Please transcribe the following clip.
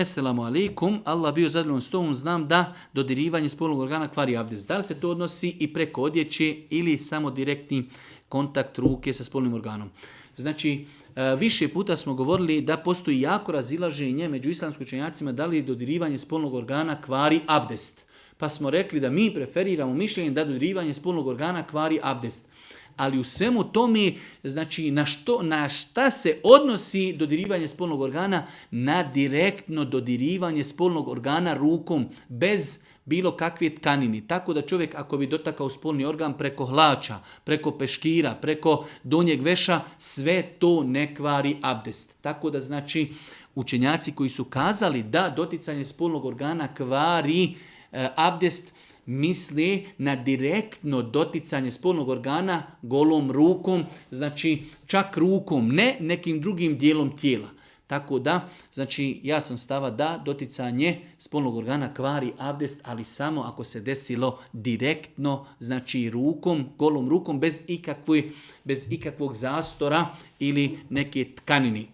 Esselamu alaikum, Allah bio zadovoljan s tobom, znam da dodirivanje spolnog organa kvari abdest. Da li se to odnosi i preko odjeće ili samo direktni kontakt ruke sa spolnim organom? Znači, više puta smo govorili da postoji jako razilaženje među islamskim učenjacima da li dodirivanje spolnog organa kvari abdest. Pa smo rekli da mi preferiramo mišljenje da dodirivanje spolnog organa kvari abdest. Ali u svemu tome, znači na šta se odnosi dodirivanje spolnog organa? Na direktno dodirivanje spolnog organa rukom, bez bilo kakve tkanini. Tako da čovjek ako bi dotakao spolni organ preko hlača, preko peškira, preko donjeg veša, sve to ne kvari abdest. Tako da znači učenjaci koji su kazali da doticanje spolnog organa kvari abdest, misli na direktno doticanje spolnog organa golom rukom, znači čak rukom, ne nekim drugim dijelom tijela. Tako da, znači ja sam stava da doticanje spolnog organa kvari abdest, ali samo ako se desilo direktno, znači rukom, golom rukom, bez ikakvog zastora ili neke tkanini.